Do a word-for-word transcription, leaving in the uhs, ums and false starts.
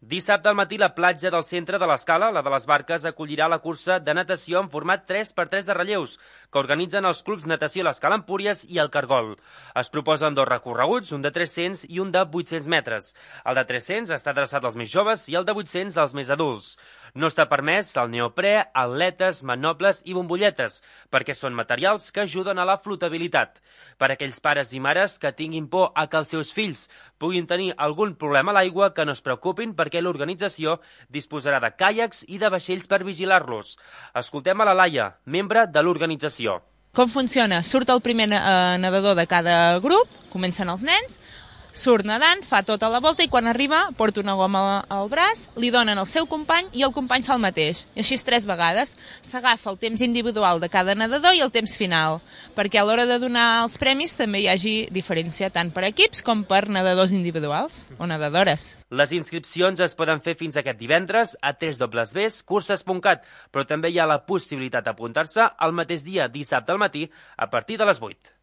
Dissabte al matí la platja del centre de l'Escala, la de les Barques, acollirà la cursa de natació en format tres per tres de relleus que organitzen els clubs natació l'Escala Empúries i el Cargol. Es proposen dos recorreguts, un de tres-cents i un de vuit-cents metres. El de tres-cents està adreçat als més joves i el de vuit-cents als més adults. No està permès el neoprè, atletes, manoples i bombolletes, perquè són materials que ajuden a la flotabilitat. Per a aquells pares i mares que tinguin por a que els seus fills puguin tenir algun problema a l'aigua, que no es preocupin perquè l'organització disposarà de caiacs i de vaixells per vigilar-los. Escoltem a la Laia, membre de l'organització. Com funciona? Surt el primer eh, nedador de cada grup, comencen els nens, surt nedant, fa tota la volta i quan arriba porta una goma al braç, li donen al seu company i el company fa el mateix. I així tres vegades. S'agafa el temps individual de cada nedador i el temps final, perquè a l'hora de donar els premis també hi hagi diferència tant per equips com per nedadors individuals o nedadores. Les inscripcions es poden fer fins aquest divendres a w w w punt curses punt cat, però també hi ha la possibilitat d'apuntar-se el mateix dia, dissabte al matí, a partir de les vuit.